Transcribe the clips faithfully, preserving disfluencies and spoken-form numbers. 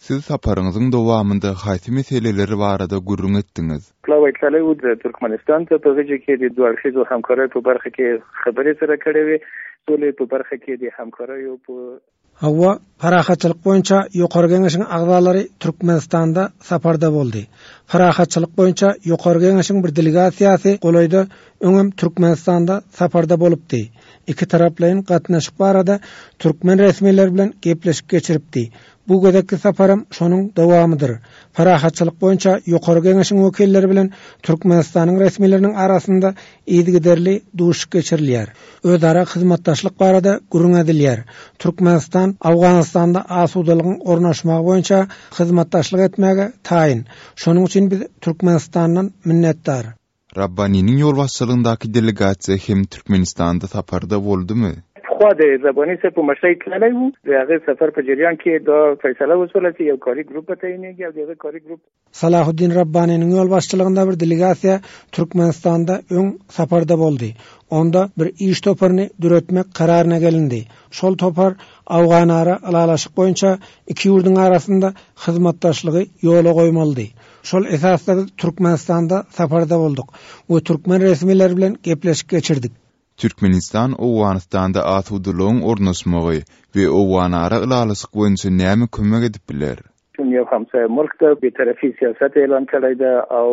Siz saparyňyzyň dowamynda haýsy meseleler barada gürrüň etdiňiz? پلاوی تللی و د ترکمنستان ته په غېږ کې د دوه اړخیزو همکاریو په برخه کې خبرې سره کړې وې سولې په برخه کې د همکاریو په Hawa, Parahatçylyk boýunça Ýokary Geňeşiň agzalary Türkmenistanda saparda boldy. Parahatçylyk boýunça Ýokary Geňeşiň bir delegasiýasy golaýda öňem Türkmenistanda saparda bolupdy. Iki taraplaýyn gatnaşyk barada türkmen resmileri bilen gepleşik geçiripdi. Bu gezekki saparam şonuň dowamydyr. Parahatçylyk boýunça Ýokary Geňeşiň wekilleri bilen Türkmenistanyň resmileriniň arasynda yzygiderli duşuşyk geçirilýär. Özara hyzmatdaşlyk barada gürrüň edilýär. Türkmenistan Owganystanda asudalygyň ornaşmagy boýunça hyzmatdaşlyk etmäge taýyn. Şonuň üçin biz Türkmenistandan minnetdar. Rabbaniniň ýolbaşçylygyndaky delegasiýa hem Türkmenistanda saparda boldumy? پخوا د رباني صاحب په مشرۍ تللی وو د هغه سفر په جریان کې دا فیصله وشوله چې یو کاري ګروپ به تعینېږي او د هغه کاري ګروپ Salahuddin Rabbaniniň ýolbaşçylygynda bir delegasiýa Türkmenistanda öň saparda boldy. Onda bir iş toparyny döretmek kararyna gelindi. Şol topar Owganara ylalaşyk boýunça iki ýurduň arasynda hyzmatdaşlygy ýola goýmalydy. Şol esasda biz Türkmenistanda saparda bolduk we türkmen resmileri bilen gepleşik geçirdik. Türkmenistan Owganystanda asudalygyň ornaşmagy we Owganara ylalaşyk boýunça näme kömek edip biler? چون یو همسایه ملک ده بې طرفي سیاست اعلان کړی ده او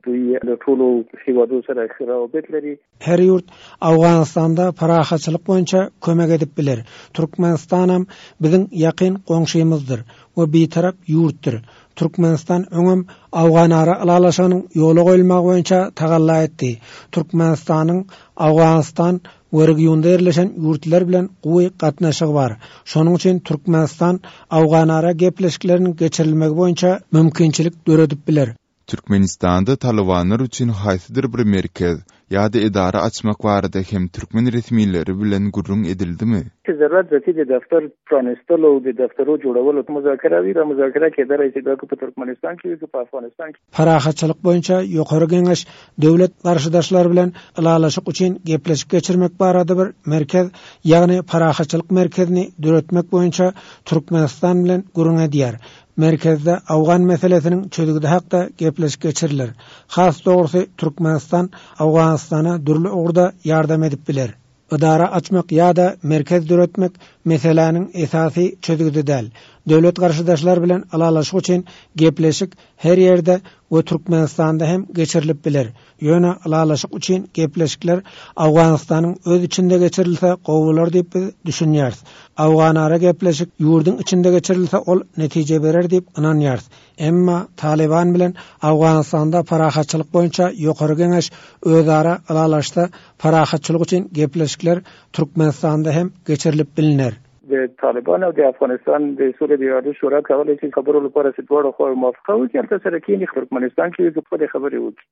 دوی له ټولو هیوادو سره ښه روابط لري. Her ýurt Owganystanda parahatçylyk boýunça kömek edip biler. Türkmenistanam biziň ýakyn goňşymyzdyr we bitarap ýurtdyr. Türkmenistan öňem Owganara ylalaşygynyň ýola goýulmagy boýunça tagalla etdi. Türkmenistanyň Owganystan we regionda ýerleşen ýurtlar bilen gowy gatnaşygy bar. Şonuň üçin Türkmenistan Owganara gepleşikleriniň geçirilmegi boýunça mümkinçilik döredip biler. Türkmenistanda Talybanlar üçin haýsydyr bir merkez ýa-da edara açmak barada hem türkmen resmileri bilen gürrüň edildimi? چې ضرورت ذاتي د دفتر پرانیستلو او د دفترو جوړولو مذاکره وي دا مذاکره کېدلی شي دا که په ترکمنستان کې وي که په افغانستان کې. Parahatçylyk boýunça Ýokary Geňeş döwlet garşydaşlar bilen ylalaşyk üçin gepleşik geçirmek barada bir merkez, ýagny parahatçylyk merkezini döretmek boýunça Türkmenistan bilen gürrüň edýär. Merkezde Owgan meselesiniň çözgüdi hakda gepleşik geçiriler. Has dogrusy Türkmenistan Owganystana dürli ugurda ýardam edip biler. Idara açmak ýa-da merkez döretmek meseläniň esasy çözgüdi däl. Döwlet garşydaşlar bilen ylalaşyk üçin gepleşik her ýerde we Türkmenistanda hem geçirilip biler. Ýöne ylalaşyk üçin gepleşikler Owganystanyň öz içinde geçirilse gowy bolar diýip biz düşünýäris. Owganara gepleşik ýurduň içinde geçirilse ol netije berer diýip ynanýarys. Emma Taliban bilen Owganystanda parahatçylyk boýunça Ýokary Geňeş özara ylalaşsa parahatçylyk üçin gepleşikler Türkmenistanda hem geçirilip biliner. د طالبان او د افغانستان د سولې د عالي شورا کولای شي خبرو لپاره چې دواړو خواوې موافقه وکړي، هلته سره کښېني، ترکمنستان کې خپلې خبرې وکړي.